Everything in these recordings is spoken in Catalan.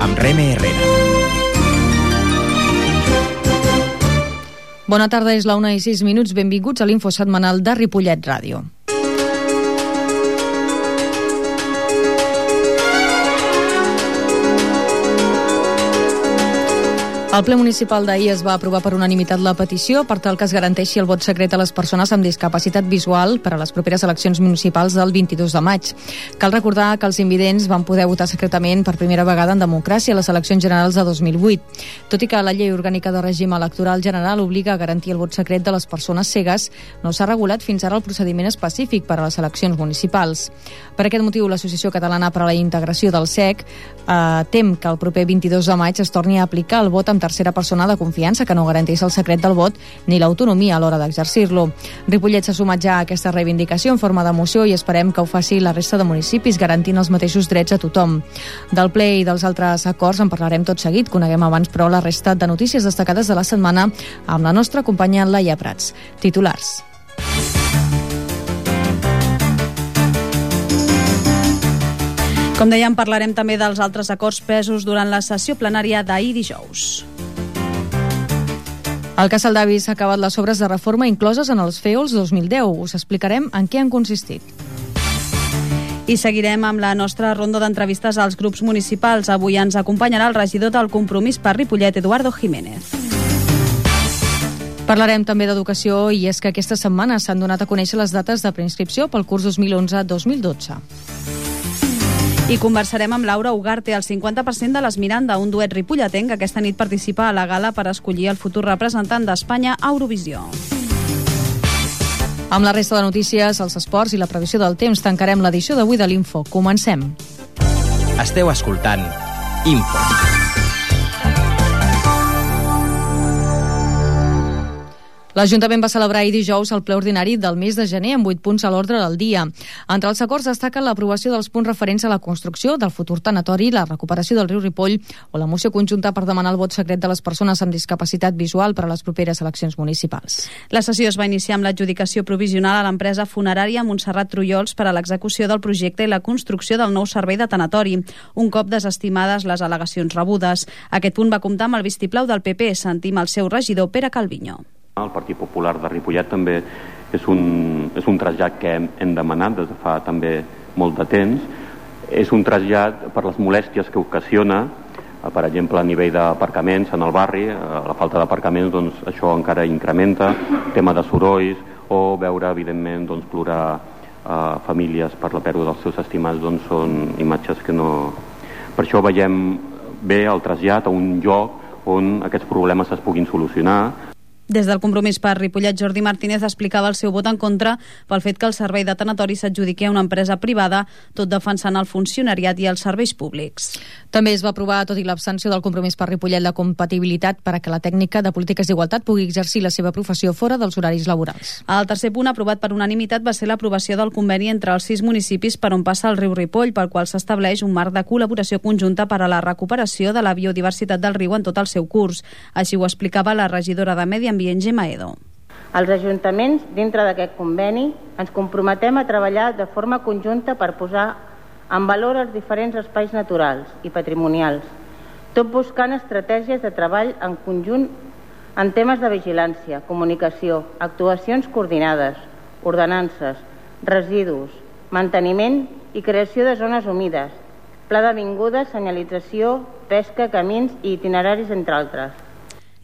amb Reme Herrera. Bona tarda, és la 1:06. Benvinguts a l'Info Setmanal de Ripollet Ràdio. El ple municipal d'ahir es va aprovar per unanimitat la petició per tal que es garanteixi el vot secret a les persones amb discapacitat visual per a les properes eleccions municipals del 22 de maig. Cal recordar que els invidents van poder votar secretament per primera vegada en democràcia a les eleccions generals de 2008. Tot i que la llei orgànica de règim electoral general obliga a garantir el vot secret de les persones cegues, no s'ha regulat fins ara el procediment específic per a les eleccions municipals. Per aquest motiu, l'Associació Catalana per a la Integració del CEC tem que el proper 22 de maig es torni a aplicar el vot amb tercera persona de confiança que no garanteix el secret del vot ni l'autonomia a l'hora d'exercir-lo. Ripollet s'ha sumat ja a aquesta reivindicació en forma de moció i esperem que ho faci la resta de municipis garantint els mateixos drets a tothom. Del ple i dels altres acords en parlarem tot seguit. Coneguem abans, però, la resta de notícies destacades de la setmana amb la nostra companya Laia Prats. Titulars. Com dèiem, parlarem també dels altres acords presos durant la sessió plenària d'ahir dijous. El Casal d'Avi s'ha acabat les obres de reforma incloses en els FEOLs 2010. Us explicarem en què han consistit. I seguirem amb la nostra ronda d'entrevistes als grups municipals. Avui ens acompanyarà el regidor del Compromís per Ripollet, Eduardo Jiménez. Parlarem també d'educació i és que aquesta setmana s'han donat a conèixer les dates de preinscripció pel curs 2011-2012. I conversarem amb Laura Ugarte, el 50% de les Miranda, un duet ripolletenc que aquesta nit participa a la gala per escollir el futur representant d'Espanya a Eurovisió. Amb la resta de notícies, els esports i la previsió del temps tancarem l'edició d'avui de l'Info. Comencem. Esteu escoltant Info. L'Ajuntament va celebrar ahir dijous el ple ordinari del mes de gener amb 8 punts a l'ordre del dia. Entre els acords destaquen l'aprovació dels punts referents a la construcció del futur tanatori, la recuperació del riu Ripoll o la moció conjunta per demanar el vot secret de les persones amb discapacitat visual per a les properes eleccions municipals. La sessió es va iniciar amb l'adjudicació provisional a l'empresa funerària Montserrat Trullols per a l'execució del projecte i la construcció del nou servei de tanatori, un cop desestimades les al·legacions rebudes. Aquest punt va comptar amb el vistiplau del PP. Sentim el seu regidor, Pere Calviño. El Partit Popular de Ripollet també és un trasllat que hem demanat des de fa també molt de temps. És un trasllat per les molèsties que ocasiona, per exemple, a nivell d'aparcaments en el barri. La falta d'aparcaments, doncs, això encara incrementa, tema de sorolls, o veure, evidentment, doncs, plorar famílies per la pèrdua dels seus estimats, doncs, són imatges que no... Per això veiem bé el trasllat a un lloc on aquests problemes es puguin solucionar. Des del Compromís per Ripollet, Jordi Martínez explicava el seu vot en contra pel fet que el servei de tanatori s'adjudiqui a una empresa privada, tot defensant el funcionariat i els serveis públics. També es va aprovar, tot i l'absència del Compromís per Ripollet, la compatibilitat per a que la tècnica de polítiques d'igualtat pugui exercir la seva professió fora dels horaris laborals. El tercer punt aprovat per unanimitat va ser l'aprovació del conveni entre els 6 municipis per on passa el riu Ripoll, pel qual s'estableix un marc de col·laboració conjunta per a la recuperació de la biodiversitat del riu en tot el seu curs. Així ho explicava la regidora de Medi Ambient, Gemma Edo. Els ajuntaments, dintre d'aquest conveni, ens comprometem a treballar de forma conjunta per posar en valor els diferents espais naturals i patrimonials, tot buscant estratègies de treball en conjunt en temes de vigilància, comunicació, actuacions coordinades, ordenances, residus, manteniment i creació de zones humides, pla d'avingudes, senyalització, pesca, camins i itineraris, entre altres.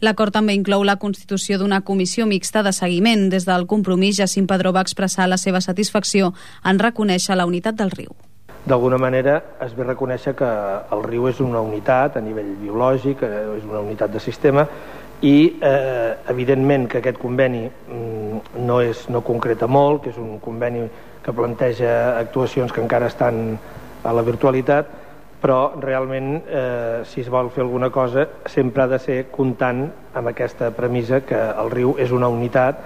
L'acord també inclou la constitució d'una comissió mixta de seguiment. Des del Compromís, Jacint Padró va expressar la seva satisfacció en reconèixer la unitat del riu. D'alguna manera es ve reconèixer que el riu és una unitat a nivell biològic, és una unitat de sistema i evidentment que aquest conveni no concreta molt, que és un conveni que planteja actuacions que encara estan a la virtualitat, però realment si es vol fer alguna cosa sempre ha de ser comptant amb aquesta premissa que el riu és una unitat.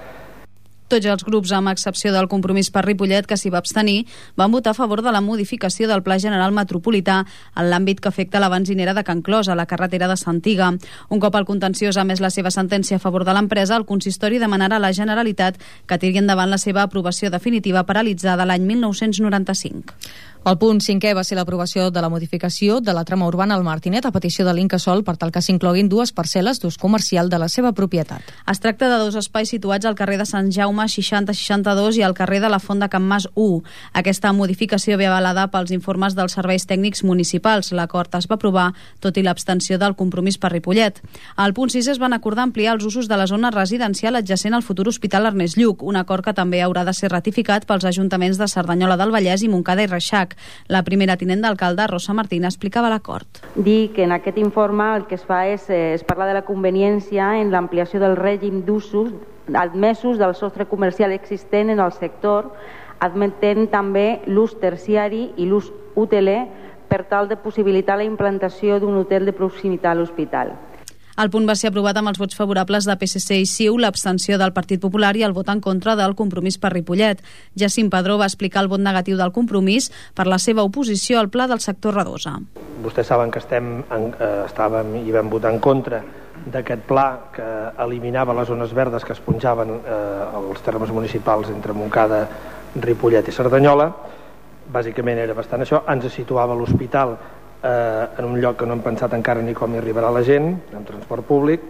Tots els grups, amb excepció del Compromís per Ripollet, que s'hi va abstenir, van votar a favor de la modificació del Pla General Metropolità en l'àmbit que afecta la benzinera de Can Clos, a la carretera de Santiga. Un cop el contenciós ha emès la seva sentència a favor de l'empresa, el consistori demanarà a la Generalitat que tiri endavant la seva aprovació definitiva paralitzada l'any 1995. El punt 5è va ser l'aprovació de la modificació de la trama urbana al Martinet a petició de l'Incasòl per tal que s'incloguin 2 parcel·les d'ús comercial de la seva propietat. Es tracta de 2 espais situats al carrer de Sant Jaume 60-62 i al carrer de la Font de Can Mas 1. Aquesta modificació ve avalada pels informes dels serveis tècnics municipals. L'acord es va aprovar tot i l'abstenció del Compromís per Ripollet. Al punt 6 es van acordar ampliar els usos de la zona residencial adjacent al futur Hospital Ernest Lluch, un acord que també haurà de ser ratificat pels ajuntaments de Cerdanyola del Vallès i Montcada i Reixac. La primera tinent d'alcalde, Rosa Martín, explicava l'acord. Dir que en aquest informe el que es fa és parlar de la conveniència en l'ampliació del règim d'usos admesos del sostre comercial existent en el sector, admetent també l'ús terciari i l'ús hoteler per tal de possibilitar la implantació d'un hotel de proximitat a l'hospital. El punt va ser aprovat amb els vots favorables de PSC i CiU, l'abstenció del Partit Popular i el vot en contra del Compromís per Ripollet. Jacint Padró va explicar el vot negatiu del Compromís per la seva oposició al pla del sector Radosa. Vostès saben que estàvem i vam votar en contra d'aquest pla que eliminava les zones verdes que es punjaven als termes municipals entre Montcada, Ripollet i Cerdanyola. Bàsicament era bastant això. Ens situava l'hospital en un lloc que no hem pensat encara ni com hi arribarà la gent, en transport públic,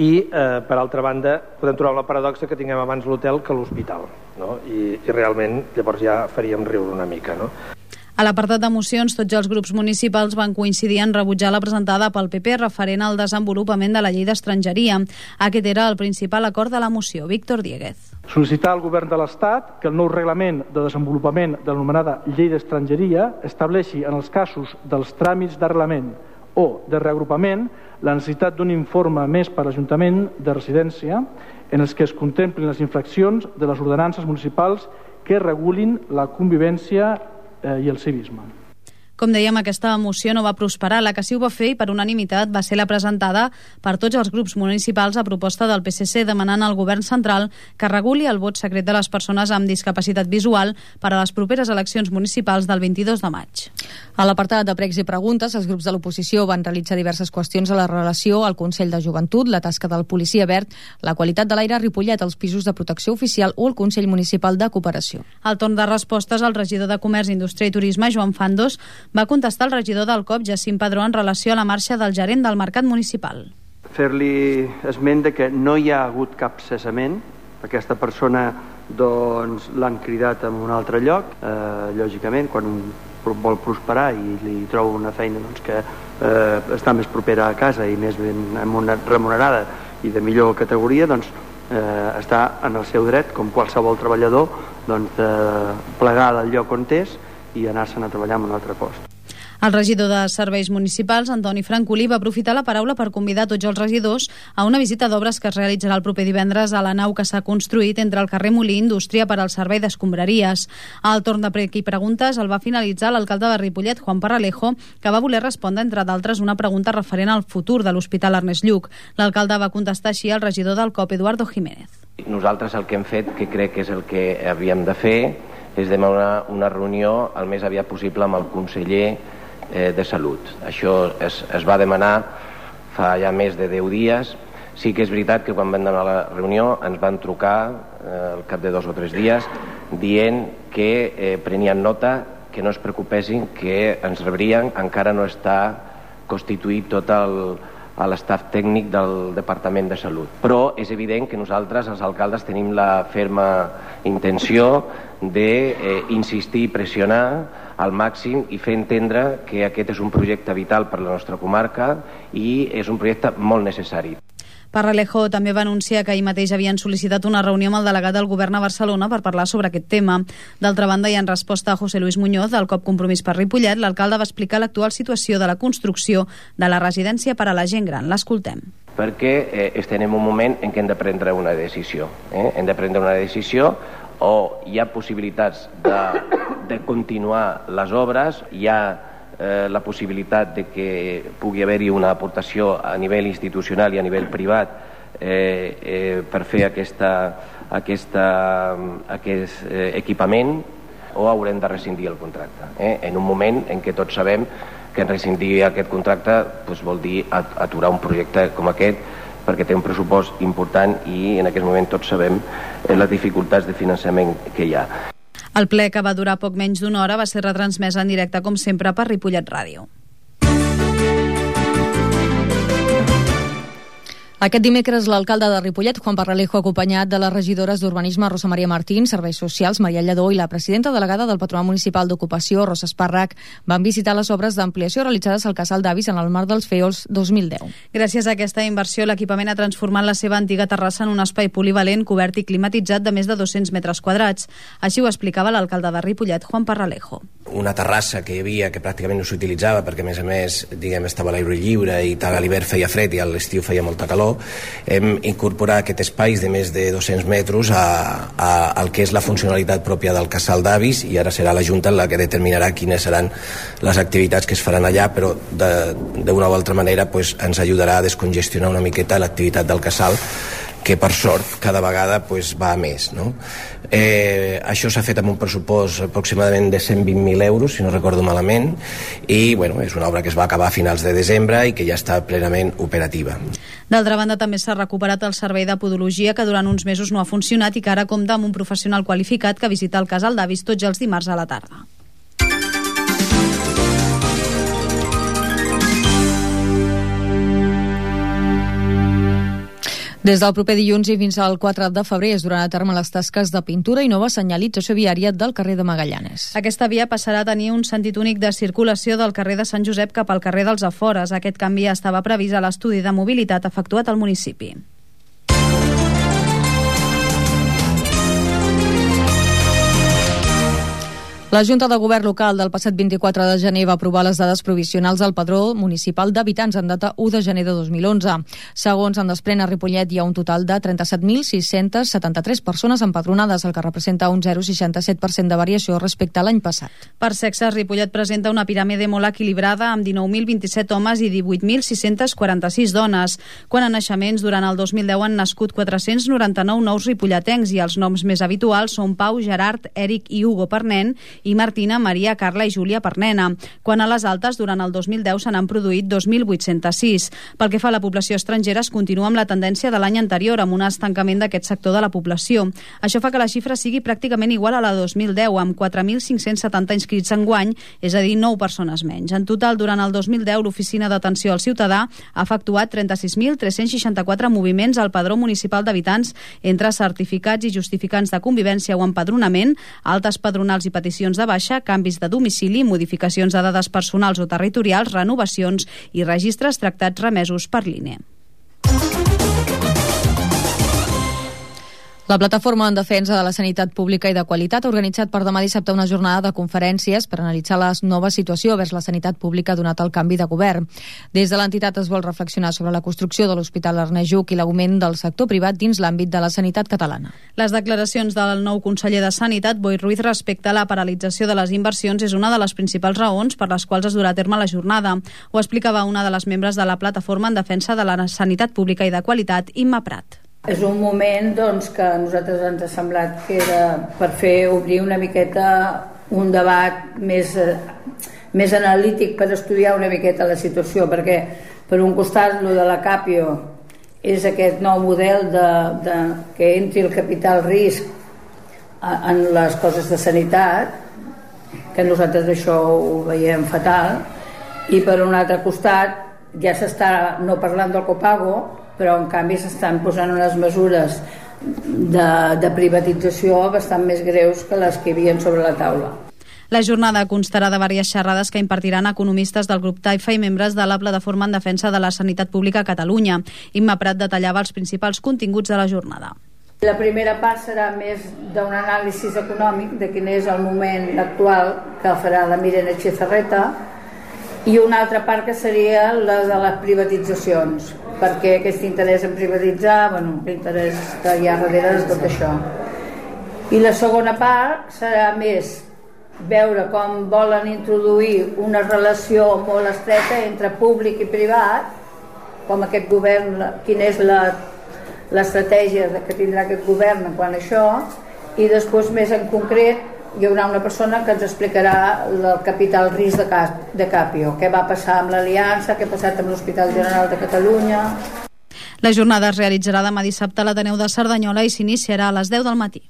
i per altra banda podem trobar la paradoxa que tinguem abans l'hotel que l'hospital, no? I realment llavors ja faríem riure una mica, no? A l'apartat de mocions, tots els grups municipals van coincidir en rebutjar la presentada pel PP referent al desenvolupament de la llei d'estrangeria. Aquest era el principal acord de la moció. Víctor Dieguez. Sol·licitar al govern de l'Estat que el nou reglament de desenvolupament de l'anomenada llei d'estrangeria estableixi en els casos dels tràmits d'arrelament o de reagrupament la necessitat d'un informe més per l'Ajuntament de residència en els que es contemplin les infraccions de les ordenances municipals que regulin la convivència i el civisme. Com dèiem, aquesta moció no va prosperar. La que sí ho va fer i per unanimitat va ser la presentada per tots els grups municipals a proposta del PSC demanant al govern central que reguli el vot secret de les persones amb discapacitat visual per a les properes eleccions municipals del 22 de maig. A l'apartat de pregs i preguntes, els grups de l'oposició van realitzar diverses qüestions a la relació al Consell de Joventut, la tasca del policia verd, la qualitat de l'aire a Ripollet, els pisos de protecció oficial o el Consell Municipal de Cooperació. Al torn de respostes, el regidor de Comerç, Indústria i Turisme, Joan Fandos, va contestar el regidor del COP, Jacint Padró, en relació a la marxa del gerent del Mercat Municipal. Fer-li esment de que no hi ha hagut cap cessament. Aquesta persona doncs, l'han cridat en un altre lloc. Lògicament, quan un vol prosperar i li troba una feina doncs, que està més propera a casa i més ben remunerada i de millor categoria, doncs, està en el seu dret, com qualsevol treballador, doncs, de plegar del lloc on és i anar-se'n a treballar en un altre post. El regidor de Serveis Municipals, Antoni Francolí, va aprofitar la paraula per convidar tots els regidors a una visita d'obres que es realitzarà el proper divendres a la nau que s'ha construït entre el carrer Molí i Indústria per al servei d'escombraries. Al torn de prec i preguntes el va finalitzar l'alcalde de Ripollet, Juan Parralejo, que va voler respondre, entre d'altres, una pregunta referent al futur de l'Hospital Ernest Lluch. L'alcalde va contestar així al regidor del COP, Eduardo Jiménez. Nosaltres el que hem fet, que crec que és el que havíem de fer, és demanar una reunió el més aviat possible amb el conseller de Salut. Això es va demanar fa ja més de 10 dies. Sí que és veritat que quan vam demanar la reunió ens van trucar al cap de 2 o 3 dies dient que prenien nota, que no es preocupessin, que ens rebrien. Encara no està constituït tot l'estaf tècnic del Departament de Salut. Però és evident que nosaltres, els alcaldes, tenim la ferma intenció d'insistir i pressionar al màxim i fer entendre que aquest és un projecte vital per a la nostra comarca i és un projecte molt necessari. Parralejo també va anunciar que ahir mateix havien sol·licitat una reunió amb el delegat del govern a Barcelona per parlar sobre aquest tema. D'altra banda, i en resposta a José Luis Muñoz, del COP Compromís per Ripollet, l'alcalde va explicar l'actual situació de la construcció de la residència per a la gent gran. L'escoltem. Perquè estem en un moment en què hem de prendre una decisió. Hem de prendre una decisió o hi ha possibilitats de continuar les obres, hi ha la possibilitat de que pugui haver-hi una aportació a nivell institucional i a nivell privat per fer aquest equipament, o haurem de rescindir el contracte. En un moment en què tots sabem que rescindir aquest contracte vol dir aturar un projecte com aquest, perquè té un pressupost important i en aquest moment tots sabem les dificultats de finançament que hi ha. El ple, que va durar poc menys d'una hora, va ser retransmès en directe, com sempre, per Ripollet Ràdio. Aquest dimecres l'alcalde de Ripollet, Juan Parralejo, acompanyat de les regidores d'Urbanisme Rosa Maria Martín, Serveis Socials Maria Lledó i la presidenta delegada del Patronat Municipal d'Ocupació, Rosa Espàrrec, van visitar les obres d'ampliació realitzades al Casal d'Avis en el marc dels FEOLs 2010. Gràcies a aquesta inversió, l'equipament ha transformat la seva antiga terrassa en un espai polivalent, cobert i climatitzat de més de 200 metres quadrats. Així ho explicava l'alcalde de Ripollet, Juan Parralejo. Una terrassa que hi havia que pràcticament no s'utilitzava perquè, a més, estava a l'aire lliure i tal, a l'hivern feia fred i a l'estiu feia molta calor. Hem incorporat aquest espai de més de 200 metres al que és la funcionalitat pròpia del Casal d'Avis, i ara serà la Junta la que determinarà quines seran les activitats que es faran allà, però d'una o altra manera ens ajudarà a descongestionar una miqueta l'activitat del casal, que per sort cada vegada va a més, no? Això s'ha fet amb un pressupost aproximadament de 120.000 euros, si no recordo malament, i és una obra que es va acabar a finals de desembre i que ja està plenament operativa. D'altra banda, també s'ha recuperat el servei de podologia, que durant uns mesos no ha funcionat i que ara compta amb un professional qualificat que visita el Casal d'Avis tots els dimarts a la tarda. Des del proper dilluns i fins al 4 de febrer es duran a terme les tasques de pintura i nova senyalització viària del carrer de Magallanes. Aquesta via passarà a tenir un sentit únic de circulació del carrer de Sant Josep cap al carrer dels Afores. Aquest canvi estava previst a l'estudi de mobilitat efectuat al municipi. La Junta de Govern local del passat 24 de gener va aprovar les dades provisionals del Padró Municipal d'Habitants en data 1 de gener de 2011. Segons en desprèn, a Ripollet hi ha un total de 37.673 persones empadronades, el que representa un 0,67% de variació respecte a l'any passat. Per sexes, Ripollet presenta una piràmide molt equilibrada amb 19.027 homes i 18.646 dones. Quant a naixements, durant el 2010 han nascut 499 nous ripolletens i els noms més habituals són Pau, Gerard, Eric i Hugo per nen i Martina, Maria, Carla i Júlia per nena. Quant a les altes, durant el 2010 se n'han produït 2.806. Pel que fa a la població estrangera, es continua amb la tendència de l'any anterior, amb un estancament d'aquest sector de la població. Això fa que la xifra sigui pràcticament igual a la 2010, amb 4.570 inscrits enguany, és a dir, 9 persones menys. En total, durant el 2010, l'Oficina d'Atenció al Ciutadà ha efectuat 36.364 moviments al Padró Municipal d'Habitants entre certificats i justificants de convivència o empadronament, altes padronals i peticions de baixa, canvis de domicili, modificacions de dades personals o territorials, renovacions i registres tractats remesos per l'INE. La Plataforma en Defensa de la Sanitat Pública i de Qualitat ha organitzat per demà dissabte una jornada de conferències per analitzar la nova situació vers la sanitat pública donat el canvi de govern. Des de l'entitat es vol reflexionar sobre la construcció de l'Hospital Ernest Lluch i l'augment del sector privat dins l'àmbit de la sanitat catalana. Les declaracions del nou conseller de Sanitat, Boi Ruiz, respecte a la paralització de les inversions és una de les principals raons per les quals es durà a terme la jornada. Ho explicava una de les membres de la Plataforma en Defensa de la Sanitat Pública i de Qualitat, Imma Prat. És un moment que a nosaltres ens ha semblat que era per obrir una miqueta un debat més analític per estudiar una miqueta la situació, perquè per un costat lo de la Capio és aquest nou model que entri el capital risc en les coses de sanitat, que nosaltres això ho veiem fatal, i per un altre costat ja s'està no parlant del copago, però en canvi s'estan posant unes mesures de privatització bastant més greus que les que hi havia sobre la taula. La jornada constarà de diverses xerrades que impartiran economistes del grup Taifa i membres de la Plataforma en Defensa de la Sanitat Pública a Catalunya. Imma Prat detallava els principals continguts de la jornada. La primera part serà més d'un anàlisi econòmic de quin és el moment actual, que farà la Mirena Chezarreta, i una altra part que seria la de les privatitzacions, perquè aquest interès en privatitzar, l'interès que hi ha darrere de tot això. I la segona part serà més veure com volen introduir una relació molt estreta entre públic i privat, com aquest govern, quina és l'estratègia que tindrà aquest govern quant a això, i després més en concret hi haurà una persona que ens explicarà el capital risc de Capio, què va passar amb l'Aliança, què ha passat amb l'Hospital General de Catalunya. La jornada es realitzarà demà dissabte a l'Ateneu de Cerdanyola i s'iniciarà a les 10 del matí.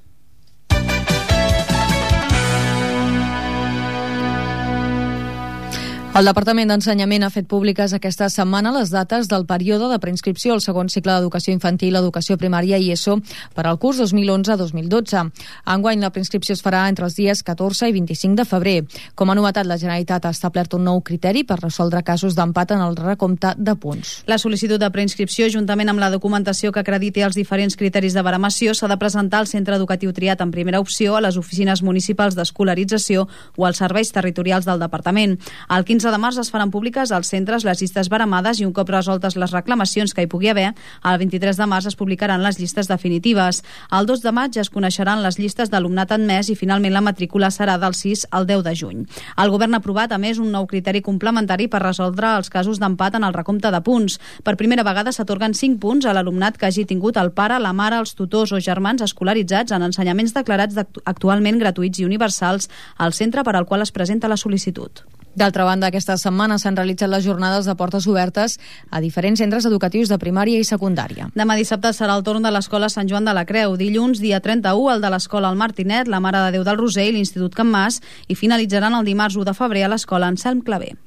El Departament d'Ensenyament ha fet públiques aquesta setmana les dates del període de preinscripció al segon cicle d'educació infantil, educació primària i ESO per al curs 2011-2012. Enguany la preinscripció es farà entre els dies 14 i 25 de febrer. Com a novetat, la Generalitat ha establert un nou criteri per resoldre casos d'empat en el recompte de punts. La sol·licitud de preinscripció, juntament amb la documentació que acrediti els diferents criteris de baremació, s'ha de presentar al centre educatiu triat en primera opció, a les oficines municipals d'escolarització o als serveis territorials del Departament. El 15 de març es faran públiques als centres les llistes baremades i un cop resoltes les reclamacions que hi pugui haver, el 23 de març es publicaran les llistes definitives. El 2 de maig es coneixeran les llistes d'alumnat admès i finalment la matrícula serà del 6 al 10 de juny. El govern ha aprovat, a més, un nou criteri complementari per resoldre els casos d'empat en el recompte de punts. Per primera vegada s'atorguen 5 punts a l'alumnat que hagi tingut el pare, la mare, els tutors o germans escolaritzats en ensenyaments declarats actualment gratuïts i universals al centre per al qual es presenta la sol·licitud. D'altra banda, aquesta setmana s'han realitzat les jornades de portes obertes a diferents centres educatius de primària i secundària. Demà dissabte serà el torn de l'Escola Sant Joan de la Creu. Dilluns, dia 31, el de l'Escola El Martinet, la Mare de Déu del Roser i l'Institut Can Mas, i finalitzaran el dimarts 1 de febrer a l'Escola Anselm Clavé.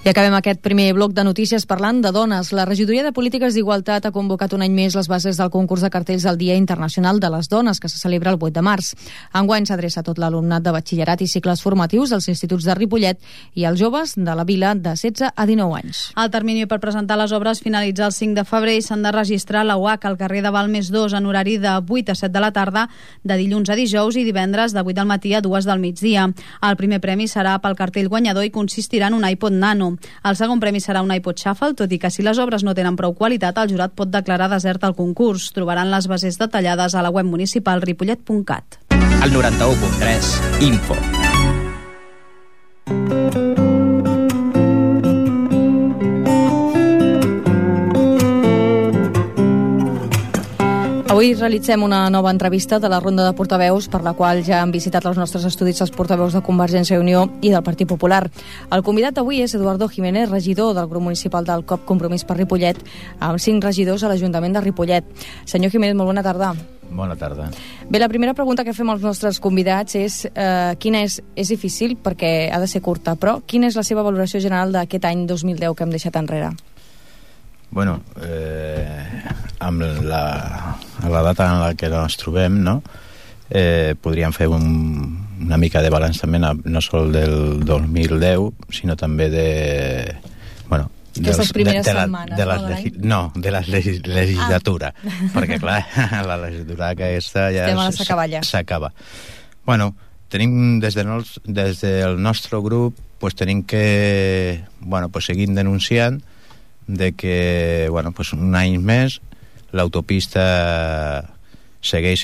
I acabem aquest primer bloc de notícies parlant de dones. La Regidoria de Polítiques d'Igualtat ha convocat un any més les bases del concurs de cartells del Dia Internacional de les Dones, que se celebra el 8 de març. Enguany s'adreça a tot l'alumnat de batxillerat i cicles formatius dels instituts de Ripollet i als joves de la vila de 16 a 19 anys. El termini per presentar les obres finalitza el 5 de febrer i s'han de registrar a la UAC al carrer de Balmes 2 en horari de 8 a 7 de la tarda, de dilluns a dijous i divendres de 8 del matí a 2 del migdia. El primer premi serà pel cartell guanyador i consistirà en un iPod Nano. El segon premi serà un iPod Shuffle, tot i que si les obres no tenen prou qualitat, el jurat pot declarar desert el concurs. Trobaran les bases detallades a la web municipal ripollet.cat. El 91.3 Info. Avui realitzem una nova entrevista de la ronda de portaveus per la qual ja han visitat els nostres estudis els portaveus de Convergència i Unió i del Partit Popular. El convidat d'avui és Eduardo Jiménez, regidor del grup municipal del COP Compromís per Ripollet, amb 5 regidors a l'Ajuntament de Ripollet. Senyor Jiménez, molt bona tarda. Bona tarda. Bé, la primera pregunta que fem als nostres convidats és quina és difícil perquè ha de ser curta, però quina és la seva valoració general d'aquest any 2010 que hem deixat enrere? Bueno, amb la data en la que ens trobem, no? Podríem fer una mica de balanç també, no sol del 2010, sinó també de... Bueno, aquestes primeres setmanes, de la legislatura, perquè clar, la legislatura aquesta ja s'acaba. Bueno, tenim des del nostre grup pues, tenim que seguir denunciant de que un any més l'autopista segueix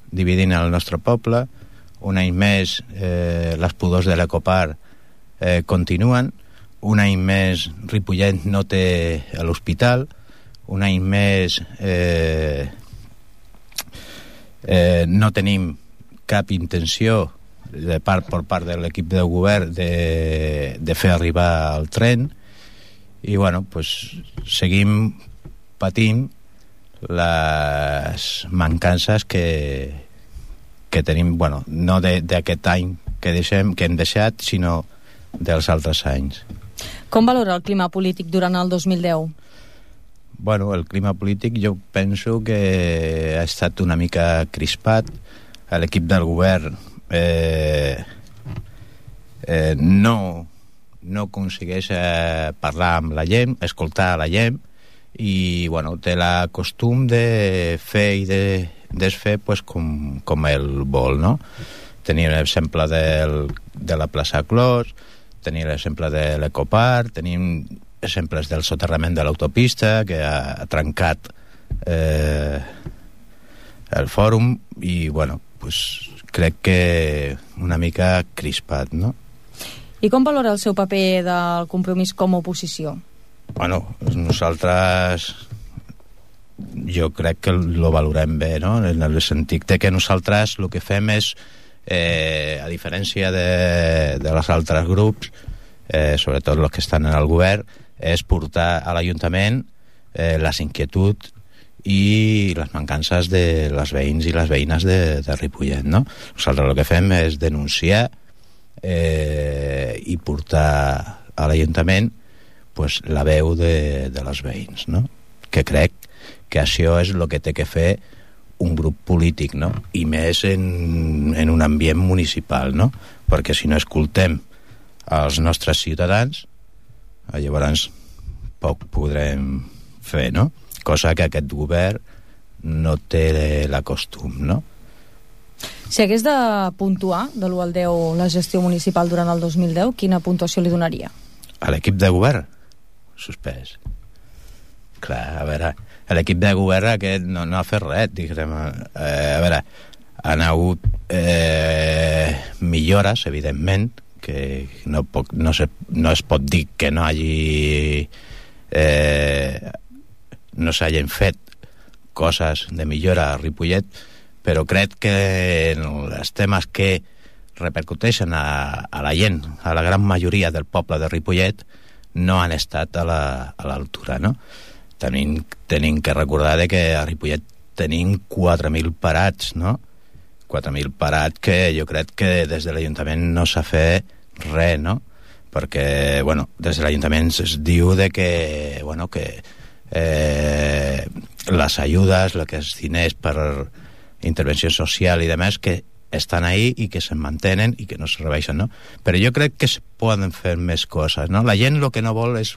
dividint el nostre poble, un any més les pudors de l'Ecoparc continuen, un any més Ripollet no té l'hospital, un any més no tenim cap intenció per part de l'equip de govern de fer arribar el tren i seguim patint les mancances que tenim, no d'aquest any que hem deixat, sinó dels altres anys. Com valora el clima polític durant el 2010? Bueno, el clima polític jo penso que ha estat una mica crispat. L'equip del govern no aconsegueix parlar amb la gent, escoltar la gent, i té la costum de fer i de desfer com ell vol, no? Tenim l'exemple de la plaça Clos, tenim l'exemple de l'Ecoparc, tenim exemples del soterrament de l'autopista que ha trencat el fòrum i crec que una mica crispat, no? I com valora el seu paper del Compromís com a oposició? Nosaltres jo crec que lo valorem bé, no? En el sentit que nosaltres el que fem és a diferència dels altres grups, sobretot els que estan en el govern, és portar a l'Ajuntament les inquietuds i les mancances de les veïns i les veïnes de Ripollet, no? Nosaltres el que fem és denunciar i portar a l'Ajuntament pues, la veu de les veïns, no? Que crec que això és el que té que fer un grup polític, no? I més en un ambient municipal, no? Perquè si no escoltem els nostres ciutadans, llavors poc podrem fer, no? Cosa que aquest govern no té la costum, no? Si hagués de puntuar de l'1 al 10 la gestió municipal durant el 2010, quina puntuació li donaria? A l'equip de govern? Suspès. Clar, a veure, l'equip de govern aquest no ha fet res, diguem. A veure, han hagut millores, evidentment, que no es pot dir que no hagi... no s'hagin fet coses de millora a Ripollet, però crec que els temes que repercuteixen a la gent, a la gran majoria del poble de Ripollet, no han estat a l'altura, no? Tenim que recordar que a Ripollet tenim 4.000 parats, no? 4.000 parats que jo crec que des de l'Ajuntament no s'ha fet res, no? Perquè, bueno, des de l'Ajuntament es diu que les ajudes, el que és diners per intervenció social i demés, que estan ahí i que se'n mantenen i que no se rebeixen, no? Però jo crec que es poden fer més coses, no? La gent el que no vol és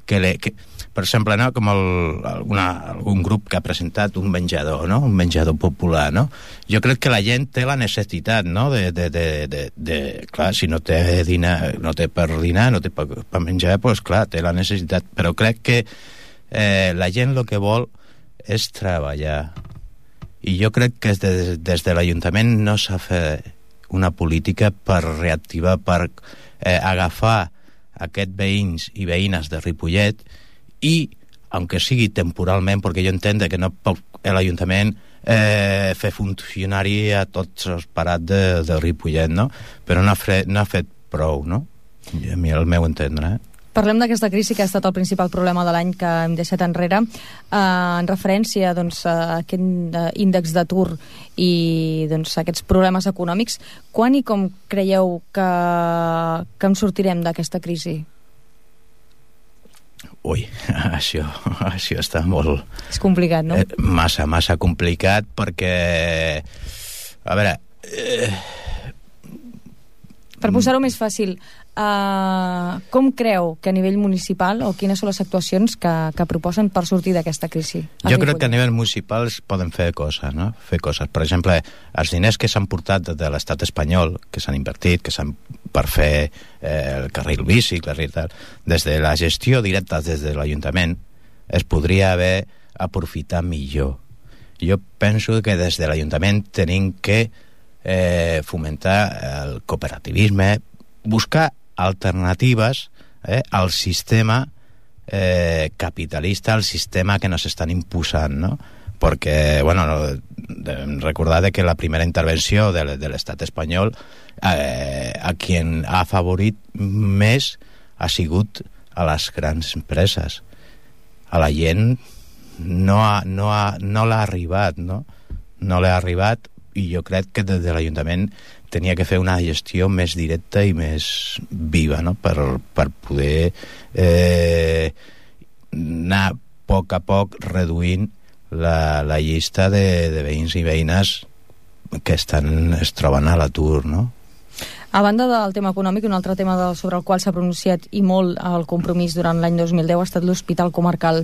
per exemple, no? Com algun grup que ha presentat un menjador, no? Un menjador popular, no? Jo crec que la gent té la necessitat, no? Clar, si no té dinar, no té per dinar, no té per menjar, doncs clar, té la necessitat. Però crec que la gent el que vol és treballar. I jo crec que des de l'Ajuntament no s'ha fet una política per reactivar, per agafar aquests veïns i veïnes de Ripollet i, aunque sigui temporalment, perquè jo entenc que no pot l'Ajuntament fer funcionari a tots els parats de Ripollet, no? Però no ha fet prou, no? A mi el meu entendre, Parlem d'aquesta crisi que ha estat el principal problema de l'any que hem deixat enrere, en referència doncs, a aquest índex d'atur i doncs, aquests problemes econòmics. Quan i com creieu que en sortirem d'aquesta crisi? Ui, això està molt... És complicat, no? Massa complicat, perquè... A veure... Per posar-ho més fàcil, com creu que a nivell municipal o quines són les actuacions que proposen per sortir d'aquesta crisi? Jo crec que a nivell municipal es poden fer coses, no? Fer coses. Per exemple, els diners que s'han portat de l'estat espanyol, que s'han invertit, per fer el carril bici, des de la gestió directa des de l'Ajuntament, es podria haver aprofitat millor. Jo penso que des de l'Ajuntament tenim que fomentar el cooperativisme, buscar alternatives al sistema capitalista, al sistema que nos estan imposant, no? Perquè, bueno, recordar que la primera intervenció de l'estat espanyol a qui ha afavorit més ha sigut a les grans empreses. A la gent no l'ha arribat, no? No l'ha arribat, i jo crec que des de l'Ajuntament tenia que fer una gestió més directa i més viva, no? Per poder anar a poc reduint la llista de veïns i veïnes que es troben a l'atur, no? A banda del tema econòmic, un altre tema sobre el qual s'ha pronunciat i molt el Compromís durant l'any 2010 ha estat l'Hospital Comarcal.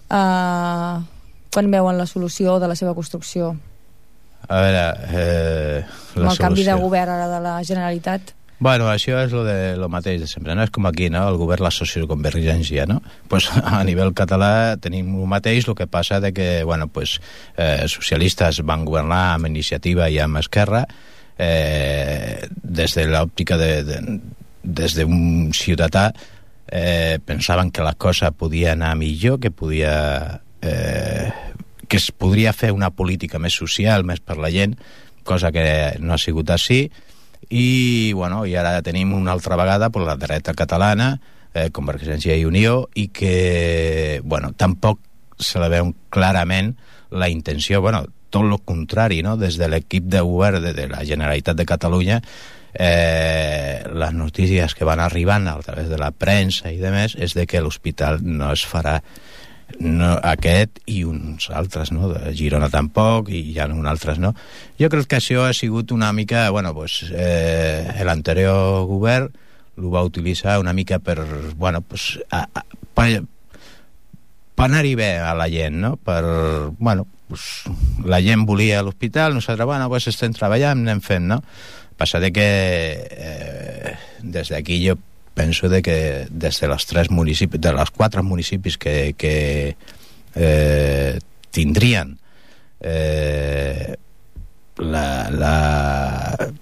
Quan veuen la solució de la seva construcció? A veure... Amb el canvi de govern ara de la Generalitat? Bueno, això és lo mateix de sempre, no? És com aquí, no? El govern, la socioconvergència, no? Pues a nivell català tenim el mateix, el que passa de que, bueno, pues socialistes van governar amb Iniciativa i amb Esquerra, des de l'òptica des d'un ciutadà pensaven que la cosa podia anar millor, que es podria fer una política més social, més per la gent, cosa que no ha sigut així, i ara tenim una altra vegada la dreta catalana, Convergència i Unió, i que tampoc se la veu clarament la intenció, bueno, tot el contrari, no? Des de l'equip de govern de la Generalitat de Catalunya, les notícies que van arribant a través de la premsa i demés és de que l'hospital no es farà, no, aquest i uns altres, no? De Girona tampoc i ja uns altres, no? Jo crec que això ha sigut una mica, bueno, pues l'anterior govern ho va utilitzar una mica per, bueno, pues per anar-hi bé a la gent, no? Per, bueno, pues, la gent volia l'hospital, nosaltres, bueno, pues estem treballant, anem fent, no? Passa de que des d'aquí jo penso de que des de les 3 municipis, de les 4 municipis que tindrien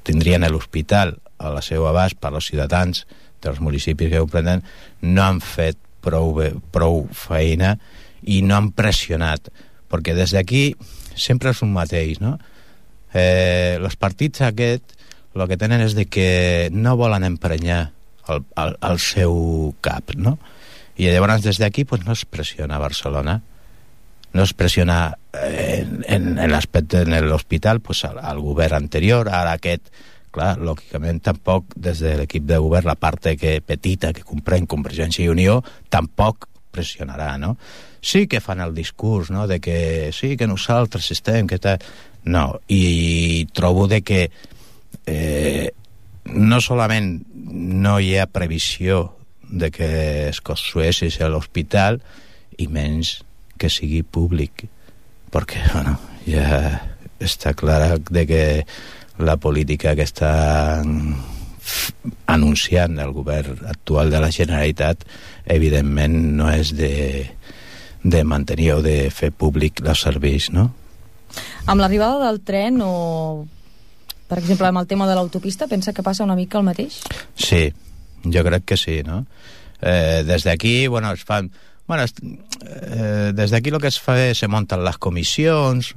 tindrien l'hospital a la seva abast per als ciutadans dels municipis que ho prenen, no han fet prou feina i no han pressionat, perquè des d'aquí sempre és un mateix, no? Els partits aquests el que tenen és de que no volen emprenyar el seu cap, no? I llavors des d'aquí pues, no es pressiona a Barcelona, no es pressiona en l'aspecte en l'hospital pues, al govern anterior, ara aquest, clar, lògicament tampoc des de l'equip de govern, la part petita que comprèn Convergència i Unió, tampoc pressionarà, no? Sí que fan el discurs, no?, de que sí, que nosaltres estem, que tal... No, i trobo de que no solament no hi ha previsió de que es construeixi l'hospital i menys que sigui públic, perquè bueno, ja està clar de que la política que està anunciant el govern actual de la Generalitat evidentment no és de mantenir o de fer públic els serveis, no? Amb l'arribada del tren o, per exemple, amb el tema de l'autopista, pensa que passa una mica el mateix? Sí, jo crec que sí, no? Des d'aquí, bueno, es fan... Bueno, des d'aquí el que es fa és se munten les comissions,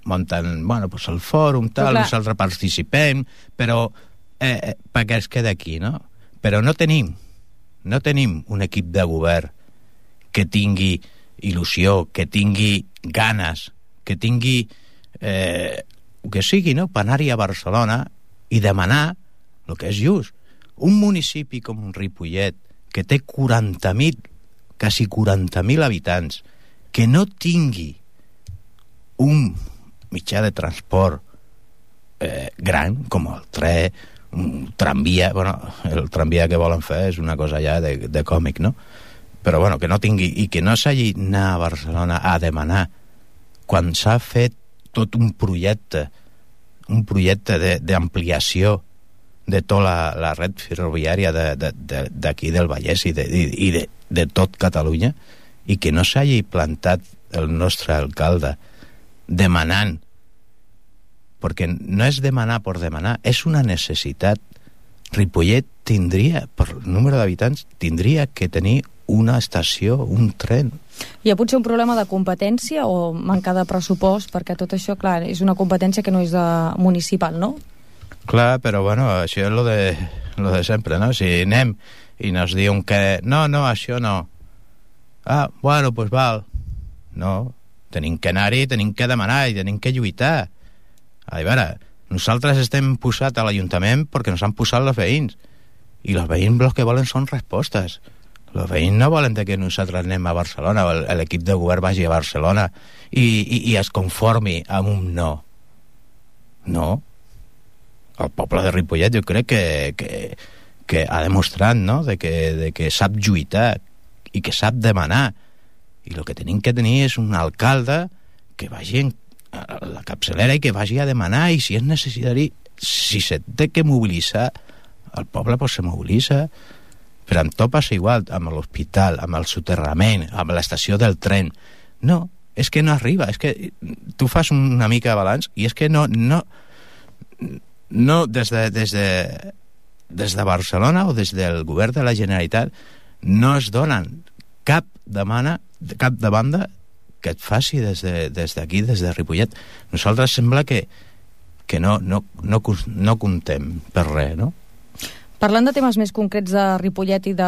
munten, bueno, pues el fòrum, tal, nosaltres participem, però perquè es queda aquí, no? Però no tenim un equip de govern que tingui il·lusió, que tingui ganes, que tingui que sigui, no?, per anar-hi a Barcelona i demanar el que és just. Un municipi com Ripollet, que té 40.000, quasi 40.000 habitants, que no tingui un mitjà de transport gran, com el tren, un tramvia, bueno, el tramvia que volen fer és una cosa ja de còmic, no? Però bueno, que no tingui, i que no s'hagi d'anar a Barcelona a demanar quan s'ha fet tot un projecte d'ampliació de tota la red ferroviària d'aquí del Vallès i de tot Catalunya, i que no s'hagi plantat el nostre alcalde demanant, perquè no és demanar per demanar, és una necessitat. Ripollet tindria, per número d'habitants, tindria que tenir una estació, un tren. Hi ha potser un problema de competència o manca de pressupost, perquè tot això, clar, és una competència que no és municipal, no? Clar, però bueno, això és lo de sempre, no? Si anem i nos diuen que no, això no. Ah, bueno, pues val. No, tenim que anar-hi, tenim que demanar i tenim que lluitar. A veure, nosaltres estem posats a l'Ajuntament perquè ens han posat els veïns, i els veïns el que volen són respostes. Els veïns no volen que nosaltres anem a Barcelona, l'equip de govern vagi a Barcelona i es conformi amb un no. No. El poble de Ripollet jo crec que ha demostrat, no?, de que sap lluitar i que sap demanar, i el que tenim que tenir és un alcalde que vagi a la capçalera i que vagi a demanar, i si és necessari, si se té que mobilitzar el poble, pues se mobilitza. Però amb tot passa igual, amb l'hospital, amb el soterrament, amb l'estació del tren. No, és que no arriba, és que tu fas una mica de balanç i és que no des de Barcelona o des del govern de la Generalitat no es donen cap demanda que et faci des d'aquí, des de Ripollet. Nosaltres sembla que no comptem per res, no? Parlant de temes més concrets de Ripollet i de...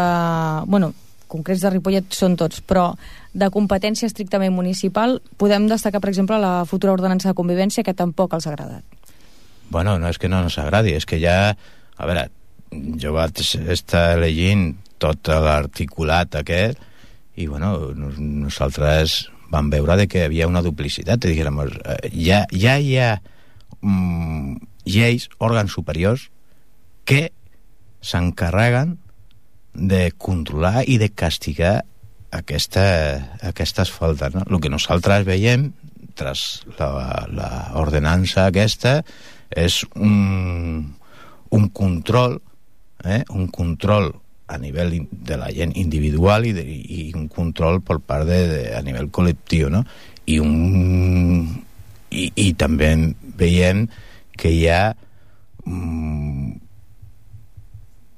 Bueno, concrets de Ripollet són tots, però de competència estrictament municipal podem destacar, per exemple, la futura ordenança de convivència, que tampoc els ha agradat. Bueno, no és que no ens agradi, és que ja... A veure, jo vaig estar llegint tot l'articulat aquest i, bueno, nosaltres vam veure de que hi havia una duplicitat. I diguem, ja hi ha lleis, òrgans superiors, que s'encarreguen de controlar i de castigar aquestes faltes, no? El que nosaltres veiem tras l'ordenança aquesta és un control, un control a nivell de la gent individual i un control per part a nivell col·lectiu, no? I també veiem que hi ha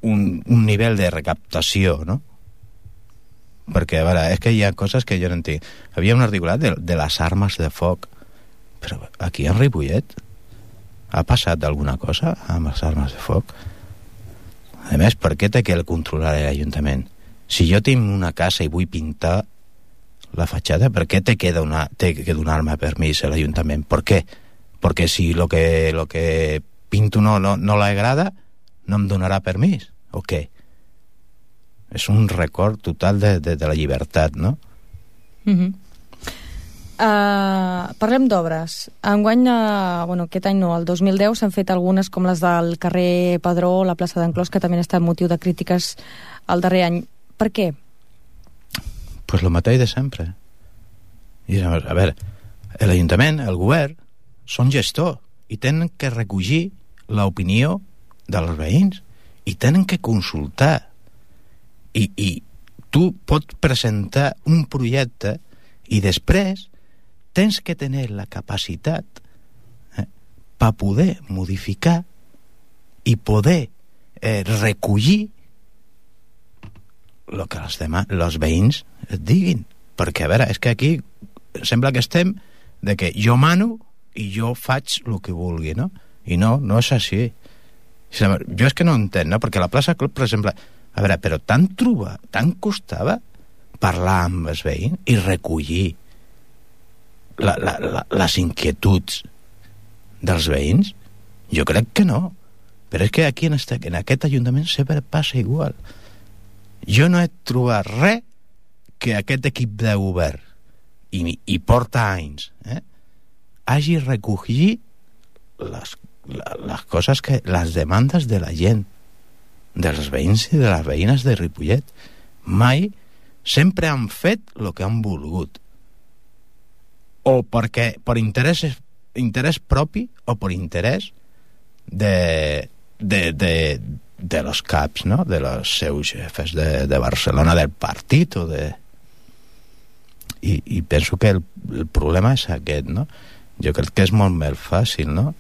un nivell de recaptació, no? Perquè, a veure, és que hi ha coses que jo no entenc. Havia un articulat de les armes de foc, però aquí en Ripollet ha passat alguna cosa amb les armes de foc? A més, per què té que el controlar l'Ajuntament? Si jo tinc una casa i vull pintar la fatxada, per què té que donar-me permís a l'Ajuntament? Per què? Perquè si lo que pinto no l'agrada, no em donarà permís, o què? És un record total de la llibertat, no? Parlem d'obres. Enguany, aquest any no, el 2010 s'han fet algunes com les del carrer Padró, la plaça d'Enclòs, que també han estat motiu de crítiques el darrer any. Per què? Pues lo mateix de sempre. I, a veure, l'Ajuntament, el govern, són gestor i tenen que recollir l'opinió dels veïns i tenen que consultar. I tu pots presentar un projecte i després tens que tenir la capacitat per poder modificar i poder recollir el que els veïns et diguin. Perquè, a veure, és que aquí sembla que estem de que jo mano i jo faig el que vulgui, no? I no és així. Jo és que no entenc, no? Perquè la plaça Club, per exemple, a veure, però tant costava parlar amb els veïns i recollir les inquietuds dels veïns? Jo crec que no. Però és que aquí en aquest Ajuntament sempre passa igual. Jo no he trobat res que aquest equip de govern i porta anys hagi recollit les coses les demandes de la gent, dels veïns i de les veïnes de Ripollet. Mai. Sempre han fet el que han volgut, o perquè per interès propi o per interès de los caps, no? De los seus jefes de Barcelona, del partit o de... I penso que el problema és aquest, no? Jo crec que és molt més fàcil, no?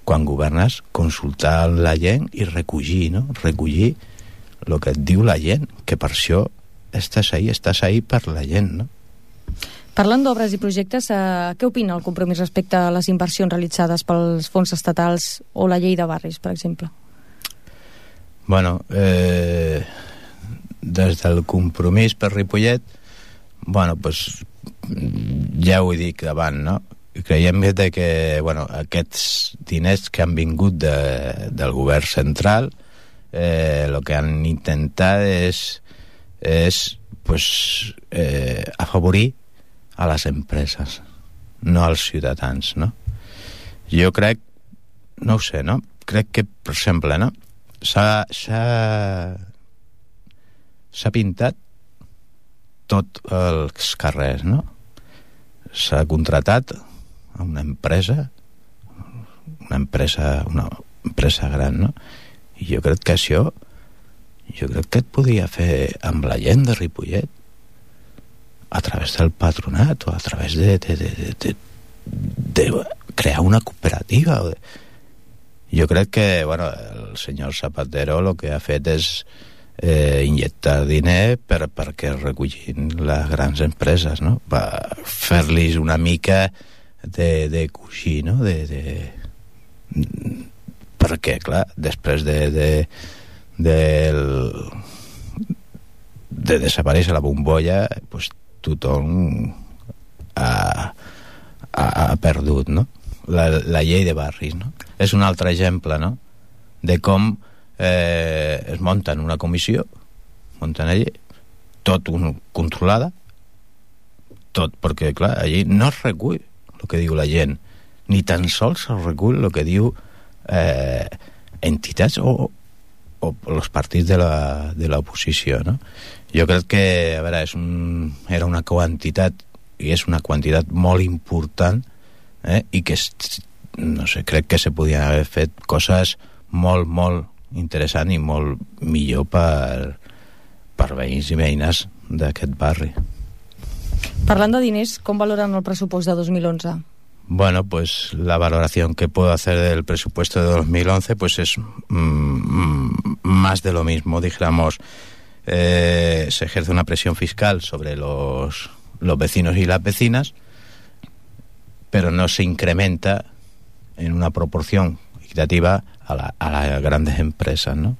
Quan governes, consultar la gent i recollir, no? Recollir el que et diu la gent, que per això estàs ahí per la gent, no? Parlant d'obres i projectes, què opina el Compromís respecte a les inversions realitzades pels fons estatals o la llei de barris, per exemple? Bueno, des del Compromís per Ripollet, bueno, pues ja ho he dit abans, no? Creiem que aquests diners que han vingut del govern central, el que han intentat és afavorir a les empreses, no als ciutadans, no? Jo crec, no ho sé, no? Crec que, per exemple, no? S'ha pintat tots els carrers, no? S'ha contratat a una empresa gran, no? I jo crec que això et podia fer amb la gent de Ripollet a través del patronat o a través de crear una cooperativa. Jo crec que el senyor Zapatero el que ha fet és inyectar diner perquè recullin les grans empreses, no? Per fer-los una mica de coixí, no? perquè, clar, després de desaparèixer la bombolla, pues, tothom ha perdut, no? La llei de barris, no? És un altre exemple, no?, de com es munta una comissió, munten allí, tot controlada, tot, perquè, clar, allí no es recull el que diu la gent, ni tan sols es recull el que diu entitats o els partits de l'oposició, no? Jo crec que, a veure, era una quantitat, i és una quantitat molt important, i que, no sé, crec que se podien haver fet coses molt, molt interessants i molt millor per veïns i veïnes d'aquest barri. Parlant de diners, com valoren el pressupost de 2011? Bueno, pues la valoración que puedo hacer del presupuesto de 2011 pues es más de lo mismo, dijéramos. Se ejerce una presión fiscal sobre los vecinos y las vecinas, pero no se incrementa en una proporción equitativa a las grandes empresas, ¿no?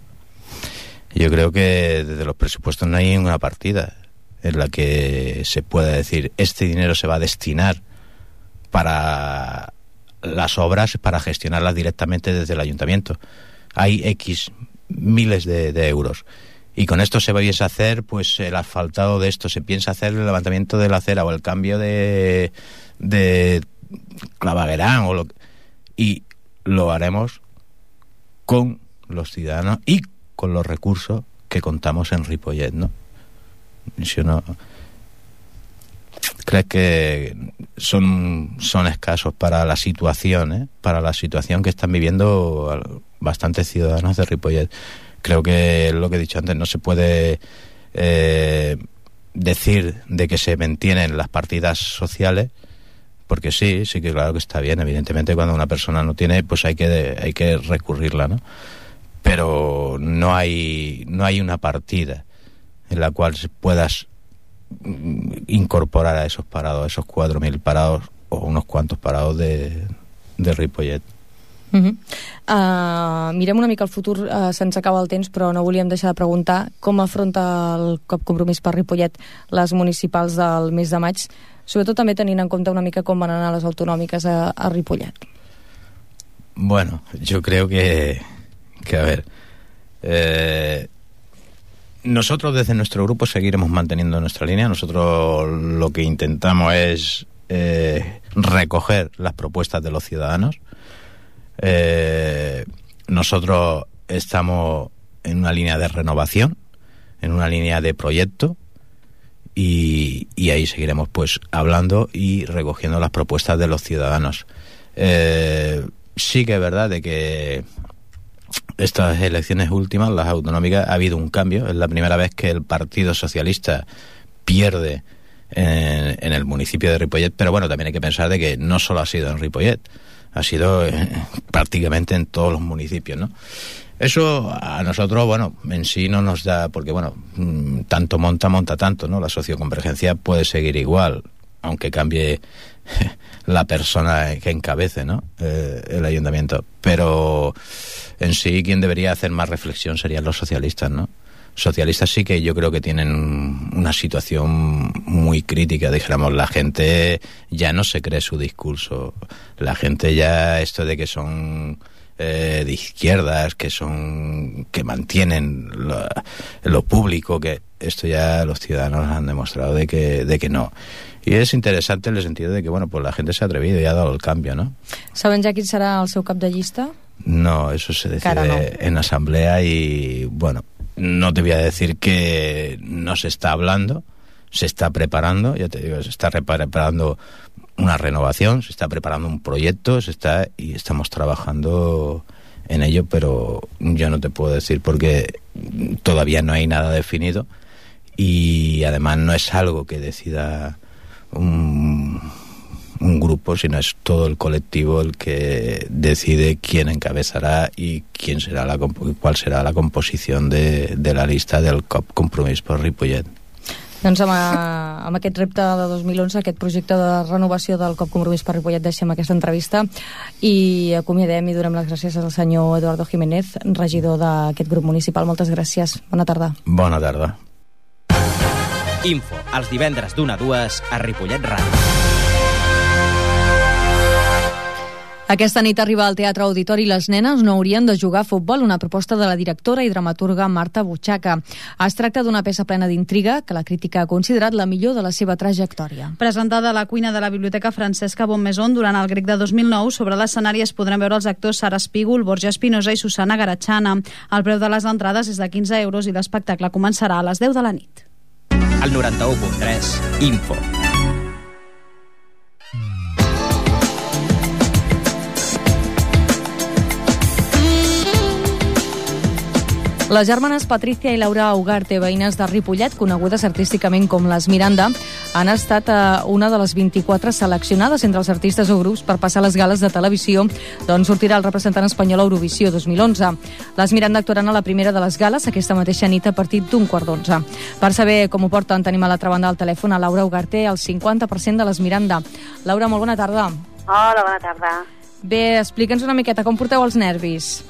Yo creo que desde los presupuestos no hay una partida en la que se pueda decir este dinero se va a destinar para las obras, para gestionarlas directamente desde el ayuntamiento. Hay X miles de euros. Y con esto se piensa hacer pues el asfaltado de esto, se piensa hacer el levantamiento de la acera o el cambio de claveguerán y lo haremos con los ciudadanos y con los recursos que contamos en Ripollet, ¿no? Si uno cree que son escasos para la situación, para la situación que están viviendo bastantes ciudadanos de Ripollet. Creo que lo que he dicho antes, no se puede decir de que se mantienen las partidas sociales, porque sí que claro que está bien, evidentemente cuando una persona no tiene, pues hay que recurrirla, ¿no? Pero no hay una partida en la cual se puedas incorporar a esos parados, a esos 4.000 parados o unos cuantos parados de Ripollet. Mirem una mica el futur, se'ns acaba el temps, però no volíem deixar de preguntar com afronta el COP Compromís per Ripollet les municipals del mes de maig, sobretot també tenint en compte una mica com van anar les autonòmiques a Ripollet. Bueno, yo creo que a ver, nosotros desde nuestro grupo seguiremos manteniendo nuestra línea. Nosotros lo que intentamos es recoger las propuestas de los ciudadanos. Nosotros estamos en una línea de renovación, en una línea de proyecto, y ahí seguiremos pues hablando y recogiendo las propuestas de los ciudadanos. Sí que es verdad de que estas elecciones últimas, las autonómicas, ha habido un cambio. Es la primera vez que el Partido Socialista pierde en el municipio de Ripollet, pero bueno, también hay que pensar de que no solo ha sido en Ripollet, ha sido prácticamente en todos los municipios, ¿no? Eso a nosotros, bueno, en sí no nos da, porque bueno, tanto monta tanto, ¿no? La socioconvergencia puede seguir igual, aunque cambie la persona que encabece, ¿no? El ayuntamiento. Pero en sí quien debería hacer más reflexión serían los socialistas, ¿no? Socialistas sí que yo creo que tienen una situación muy crítica, dijéramos. La gente ya no se cree su discurso, la gente ya esto de que son de izquierdas, que mantienen lo público, que esto ya los ciudadanos han demostrado de que no. Y es interesante en el sentido de que, bueno, pues la gente se ha atrevido y ha dado el cambio, ¿no? ¿Saben ya quién será el seu cap de llista? No, eso se decide en asamblea y, bueno, no te voy a decir que no se está hablando, se está preparando, ya te digo, se está preparando una renovación, se está preparando un proyecto, y estamos trabajando en ello, pero yo no te puedo decir porque todavía no hay nada definido y además no es algo que decida un grupo, sino es todo el colectivo el que decide quién encabezará y cuál será la composición de la lista del COP Compromís per Ripollet. Doncs amb aquest repte de 2011, aquest projecte de renovació del COP Compromís per Ripollet, deixem aquesta entrevista i acomiadem i donem les gràcies al senyor Eduardo Jiménez, regidor d'aquest grup municipal. Moltes gràcies. Bona tarda. Bona tarda. Info, els divendres d'1 a 2 a Ripollet Ràdio. Aquesta nit arriba al Teatre Auditori Les nenes no haurien de jugar a futbol, una proposta de la directora i dramaturga Marta Butxaca. Es tracta d'una peça plena d'intriga que la crítica ha considerat la millor de la seva trajectòria. Presentada a la cuina de la Biblioteca Francesca Bonmaison durant el Grec de 2009, sobre l'escenari es podran veure els actors Sara Espígol, Borja Espinosa i Susana Garachana. El preu de les entrades és de 15 euros i l'espectacle començarà a les 10 de la nit. El 91.3, Info. Les germanes Patricia i Laura Ugarte, veïnes de Ripollet, conegudes artísticament com les Miranda, han estat una de les 24 seleccionades entre els artistes o grups per passar les gales de televisió d'on sortirà el representant espanyol a Eurovisió 2011. Les Miranda actuaran a la primera de les gales aquesta mateixa nit a partir d'11:15. Per saber com ho porten, tenim a l'altra banda del telèfon a Laura Ugarte, el 50% de les Miranda. Laura, molt bona tarda. Hola, bona tarda. Bé, explica'ns una miqueta com porteu els nervis.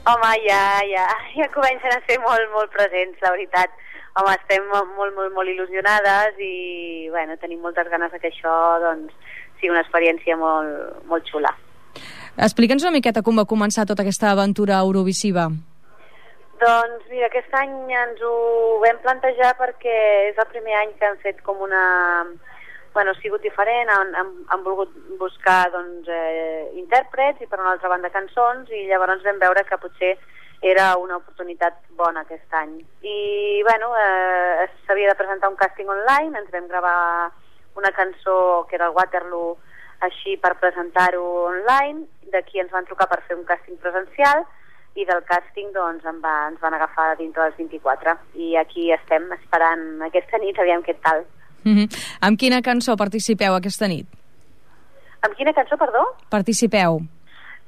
Home, ja comencen a ser molt presents, la veritat. Home, estem molt il·lusionades i, bueno, tenim moltes ganes que això, doncs, sigui una experiència molt xula. Explica'ns una miqueta com va començar tota aquesta aventura eurovisiva. Doncs, mira, aquest any ens ho vam plantejar perquè és el primer any que hem fet com una... Bueno, ha sigut diferent, han volgut buscar doncs, intèrprets i per una altra banda cançons, i llavors vam veure que potser era una oportunitat bona aquest any. I bueno, s'havia de presentar un càsting online, ens vam gravar una cançó que era el Waterloo així per presentar-ho online, d'aquí ens van trucar per fer un càsting presencial i del càsting doncs, ens van agafar dintre dels 24 i aquí estem esperant aquesta nit, aviam què tal. Amb quina cançó participeu aquesta nit? Amb quina cançó, perdó? Participeu.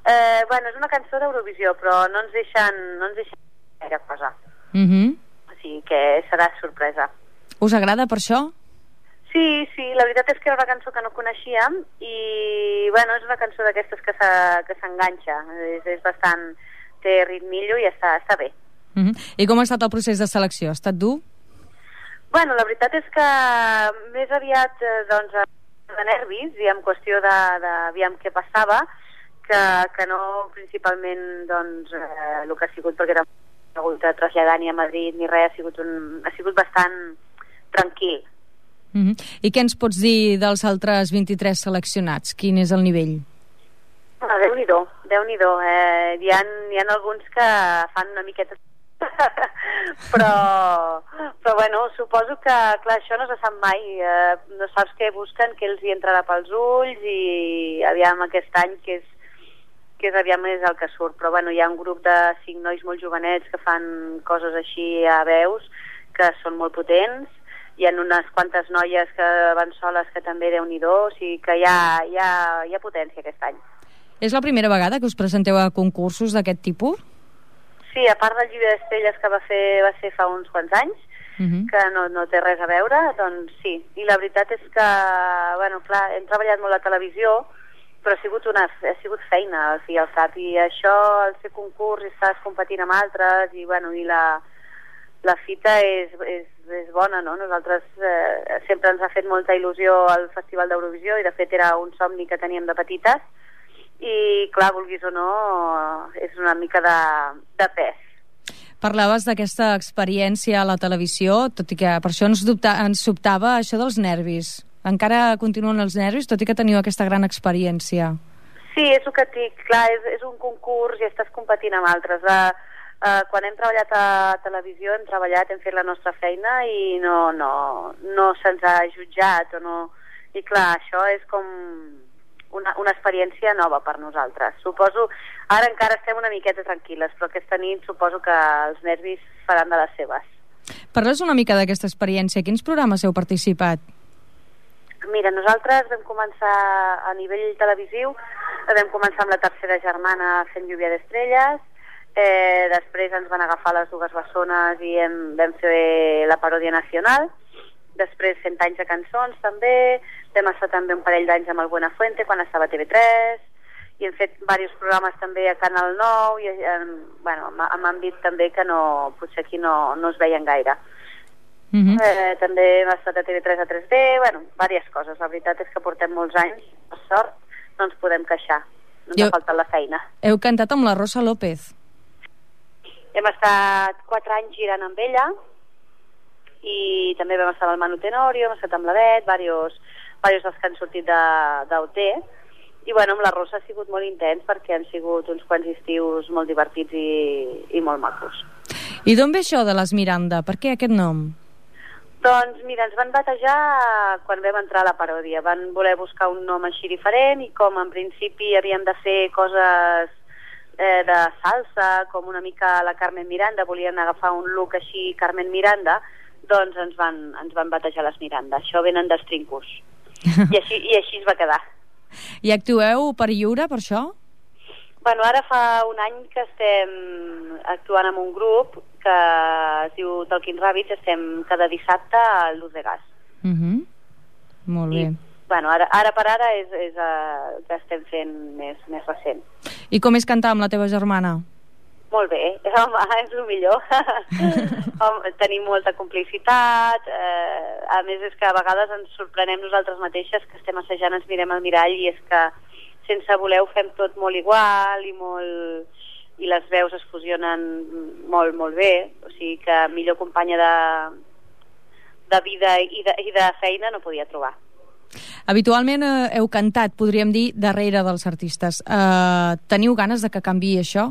Bueno, és una cançó d'Eurovisió, però no ens deixen gaire cosa. O sigui que serà sorpresa. Us agrada per això? Sí, la veritat és que era una cançó que no coneixíem i, bueno, és una cançó d'aquestes que s'enganxa. És bastant... té ritmillo i està bé. I com ha estat el procés de selecció? Ha estat dur? Bueno, la veritat és que més aviat doncs, de nervis i en qüestió d'aviam què passava, que no principalment doncs, el que ha sigut perquè era hagut de traslladar ni a Madrid ni res, ha sigut bastant tranquil. I què ens pots dir dels altres 23 seleccionats? Quin és el nivell? Déu-n'hi-do. Hi ha alguns que fan una miqueta però bueno, suposo que clar, això no se sap mai, no saps què busquen, què els hi entrarà pels ulls i aviam aquest any que és aviam és el que surt, però bueno, hi ha un grup de 5 nois molt jovenets que fan coses així a veus que són molt potents, hi ha unes quantes noies que van soles que també Déu-n'hi-do, o sigui que hi ha potència aquest any. És la primera vegada que us presenteu a concursos d'aquest tipus? Sí, a part del Llibre d'Estrelles que va ser fa uns quants anys, que no té res a veure, doncs sí. I la veritat és que, bueno, clar, hem treballat molt a televisió, però ha sigut feina al fi i al cap, i això, al fer concurs, i estàs competint amb altres, i bueno, i la fita és bona, no? Nosaltres sempre ens ha fet molta il·lusió al Festival d'Eurovisió, i de fet era un somni que teníem de petites, i clar, vulguis o no, és una mica de pes. Parlaves d'aquesta experiència a la televisió, tot i que per això ens sobtava això dels nervis. Encara continuen els nervis, tot i que teniu aquesta gran experiència. Sí, és el que et dic, clar, és un concurs i estàs competint amb altres. Quan hem treballat a televisió hem fet la nostra feina i no se'ns ha jutjat i clar, això és com una experiència nova per nosaltres. Suposo, ara encara estem una miqueta tranquil·les, però aquesta nit suposo que els nervis faran de les seves. Parles una mica d'aquesta experiència. Quins programes heu participat? Mira, nosaltres vam començar a nivell televisiu, vam començar amb La tercera germana fent Lluvia d'Estrelles, després ens van agafar les dues bessones i vam fer la paròdia nacional, després 100 anys de cançons també, vam estar també un parell d'anys amb el Buenafuente quan estava a TV3 i hem fet diversos programes també a Canal 9 i bueno, amb àmbit també que potser aquí no es veien gaire. També hem estat a TV3 a 3D, bueno, diverses coses. La veritat és que portem molts anys, per sort, no ens podem queixar. No ens ha faltat la feina. Heu cantat amb la Rosa López. Hem estat 4 anys girant amb ella i també vam estar amb el Manu Tenorio, hem estat amb la Bet, diversos dels que han sortit d'OT. I bueno, amb la Rosa ha sigut molt intens perquè han sigut uns quants estius molt divertits i molt macos. I d'on ve això de les Miranda? Per què aquest nom? Doncs mira, ens van batejar quan vam entrar a la paròdia. Van voler buscar un nom així diferent i com en principi havíem de fer coses de salsa, com una mica la Carmen Miranda, volien agafar un look així Carmen Miranda, doncs ens van batejar les Miranda. Això venen dels Trincus. I així es va quedar. I actueu per lliure, per això? Bueno, ara fa un any que estem actuant amb un grup que es diu Talking Rabbits, estem cada dissabte a Luz de Gas. Molt bé. Bueno, ara per ara és que estem fent més recent. I com és cantar amb la teva germana? Molt bé, home, és el millor. Tenim molta complicitat, a més és que a vegades ens sorprenem nosaltres mateixes que estem assajant, ens mirem al mirall i és que sense voler ho fem tot molt igual i les veus es fusionen molt, molt bé, o sigui que millor companya de vida i de feina no podia trobar. Habitualment heu cantat, podríem dir, darrere dels artistes. Teniu ganes de que canviï això?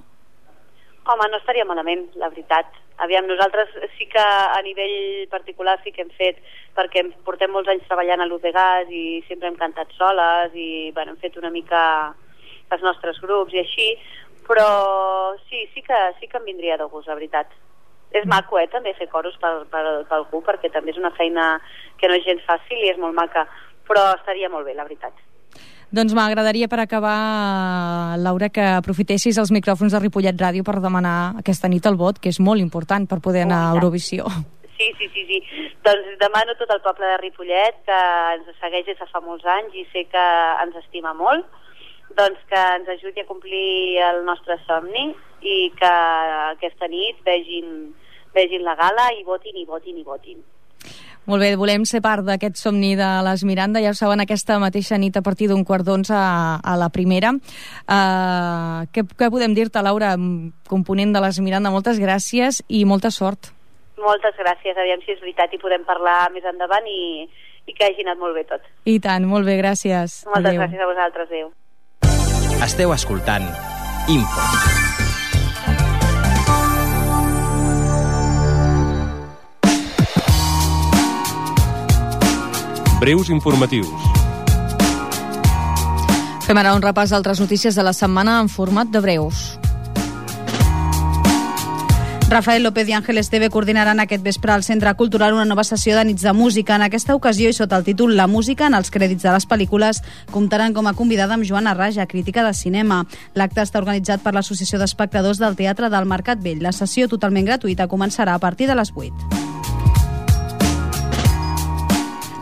Home, no estaria malament, la veritat. Aviam, nosaltres sí que a nivell particular sí que hem fet, perquè portem molts anys treballant a Luz de Gas i sempre hem cantat soles i bueno, hem fet una mica els nostres grups i així, però sí que em vindria de gust, la veritat. És maco, també, fer coros per algú, perquè també és una feina que no és gens fàcil i és molt maca, però estaria molt bé, la veritat. Doncs m'agradaria, per acabar, Laura, que aprofitessis els micròfons de Ripollet Ràdio per demanar aquesta nit el vot, que és molt important per poder anar a Eurovisió. Sí. Doncs demano a tot el poble de Ripollet, que ens segueix des de fa molts anys i sé que ens estima molt, doncs que ens ajudi a complir el nostre somni i que aquesta nit vegin la gala i votin. Molt bé, volem ser part d'aquest somni de les Miranda, ja ho saben, aquesta mateixa nit a partir d'un 11:15 a la primera. Què podem dir-te, Laura, component de les Miranda? Moltes gràcies i molta sort. Moltes gràcies, aviam si és veritat i podem parlar més endavant i que hagi anat molt bé tot. I tant, molt bé, gràcies. Moltes gràcies a vosaltres, adéu. Esteu escoltant Info. Breus informatius. Fem ara un repàs d'altres notícies de la setmana en format de breus. Rafael López i Àngel Esteve coordinaran aquest vespre al Centre Cultural una nova sessió de nits de música. En aquesta ocasió, i sota el títol La música en els crèdits de les pel·lícules, comptaran com a convidada amb Joana Raja, crítica de cinema. L'acte està organitzat per l'Associació d'Espectadors del Teatre del Mercat Vell. La sessió, totalment gratuïta, començarà a partir de les 8.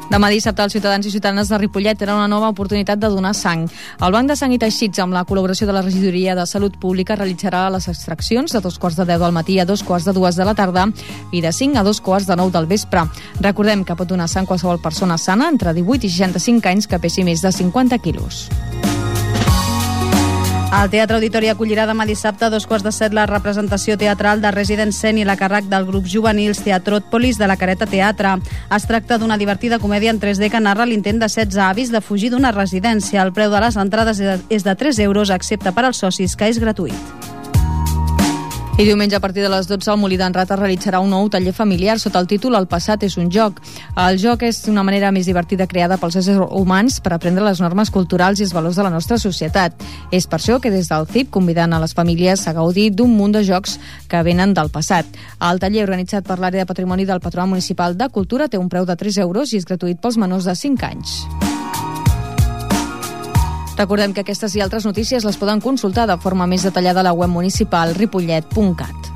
Demà dissabte, els ciutadans i ciutadanes de Ripollet tenen una nova oportunitat de donar sang. El Banc de Sang i Teixits, amb la col·laboració de la Regidoria de Salut Pública, realitzarà les extraccions de 2:10 del matí a 2:02 de la tarda i de 5 a 2:09 del vespre. Recordem que pot donar sang qualsevol persona sana entre 18 i 65 anys que pesi més de 50 quilos. El Teatre Auditori acollirà demà dissabte a 2:15 la representació teatral de Resident Seni a càrrec del grup juvenils Teatròpolis de la Careta Teatre. Es tracta d'una divertida comèdia en 3D que narra l'intent de 16 avis de fugir d'una residència. El preu de les entrades és de 3 euros, excepte per als socis, que és gratuït. I diumenge a partir de les 12 el Molí d'en Rata realitzarà un nou taller familiar sota el títol El passat és un joc. El joc és una manera més divertida creada pels éssers humans per aprendre les normes culturals i els valors de la nostra societat. És per això que des del CIP conviden a les famílies a gaudir d'un munt de jocs que venen del passat. El taller organitzat per l'àrea de patrimoni del Patronat Municipal de Cultura té un preu de 3 euros i és gratuït pels menors de 5 anys. Recordem que aquestes i altres notícies les poden consultar de forma més detallada a la web municipal ripollet.cat.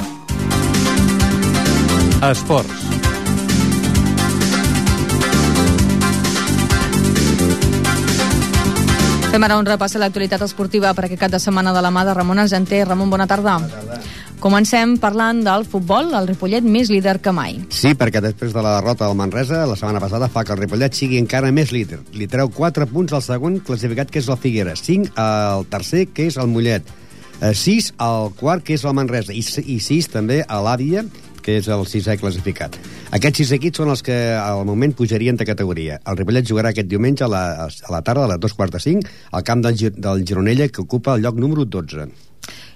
Esports. Fem ara un repàs a l'actualitat esportiva per aquest cap de setmana de la mà de Ramon Argenter. Ramon, bona tarda. Bona tarda. Comencem parlant del futbol, el Ripollet més líder que mai. Sí, perquè després de la derrota del Manresa la setmana passada fa que el Ripollet sigui encara més líder. Li treu 4 punts al segon classificat, que és el Figueres, 5 al tercer, que és el Mollet, 6 al quart, que és el Manresa, i 6 també a l'Àvia, que és el 6è classificat. Aquests 6 equips són els que al moment pujarien de categoria. El Ripollet jugarà aquest diumenge a la tarda, a les 2:45, al camp del Gironella, que ocupa el lloc número 12.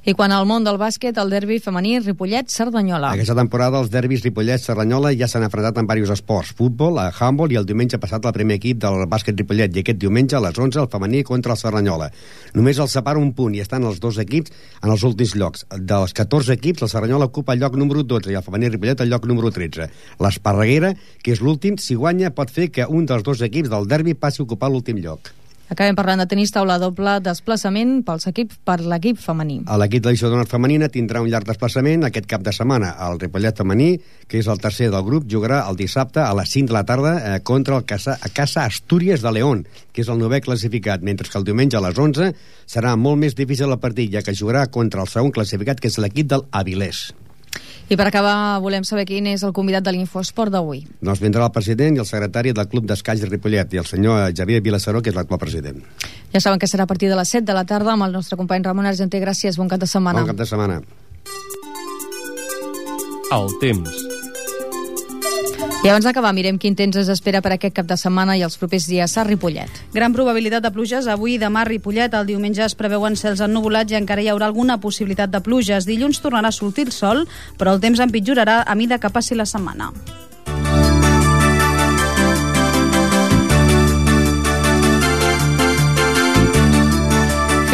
I quan al món del bàsquet, el derbi femení Ripollet-Cerdanyola. Aquesta temporada els derbis Ripollet-Cerdanyola ja s'han enfrontat en diversos esports: futbol, handball, i el diumenge passat el primer equip del bàsquet Ripollet, i aquest diumenge a les 11 el femení contra el Cerdanyola. Només els separa un punt i estan els dos equips en els últims llocs. Dels 14 equips, el Cerdanyola ocupa el lloc número 12 i el femení Ripollet el lloc número 13. L'Esparreguera, que és l'últim, si guanya pot fer que un dels dos equips del derbi passi a ocupar l'últim lloc. Acabem parlant de tenis taula, doble desplaçament per l'equip femení. L'equip de l'Iso d'Honor femenina tindrà un llarg desplaçament aquest cap de setmana. El Ripollet femení, que és el tercer del grup, jugarà el dissabte a les 5 de la tarda contra el Casa Astúries de León, que és el 9è classificat, mentre que el diumenge a les 11 serà molt més difícil el partit, ja que jugarà contra el segon classificat, que és l'equip del Avilés. I per acabar, volem saber quin és el convidat de l'Infosport d'avui. Doncs vindrà el president i el secretari del Club d'Escaig de Ripollet, i el senyor Javier Vilaceró, que és l'actual president. Ja saben que serà a partir de les 7 de la tarda amb el nostre company Ramon Argenter. Gràcies, bon cap de setmana. Bon cap de setmana. El temps. I abans d'acabar, mirem quin temps es espera per aquest cap de setmana i els propers dies a Ripollet. Gran probabilitat de pluges avui i demà a Ripollet. El diumenge es preveuen cels ennuvolats i encara hi haurà alguna possibilitat de pluges. Dilluns tornarà a sortir el sol, però el temps empitjorarà a mida que passi la setmana.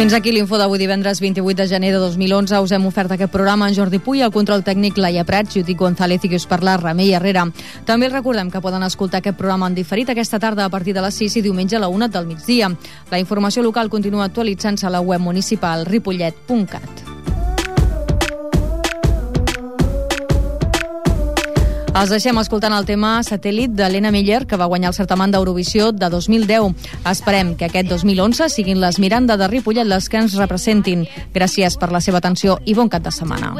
Fins aquí l'info d'avui divendres 28 de gener de 2011. Us hem ofert aquest programa en Jordi Puy, el control tècnic Laia Prats, Judit González i qui us parla, Remei Herrera. També els recordem que poden escoltar aquest programa en diferit aquesta tarda a partir de les 6 i diumenge a la 1 del migdia. La informació local continua actualitzant-se a la web municipal ripollet.cat. Els deixem escoltant el tema Satèl·lit de Lena Meyer, que va guanyar el certamen d'Eurovisió de 2010. Esperem que aquest 2011 siguin les Miranda de Ripollet les que ens representin. Gràcies per la seva atenció i bon cap de setmana.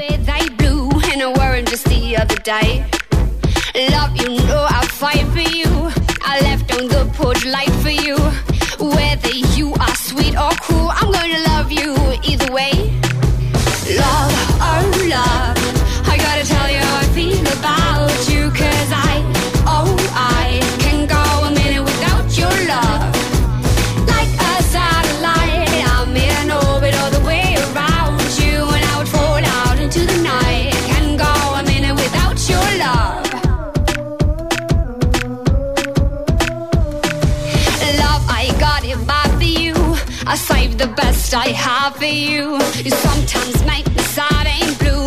I gotta tell you how I feel about you, 'cause I can go a minute without your love. Like a satellite, I'm in orbit all the way around you, and I would fall out into the night. Can go a minute without your love. Love, I got it bad for you. I saved the best I have for you. You sometimes make me sad and blue.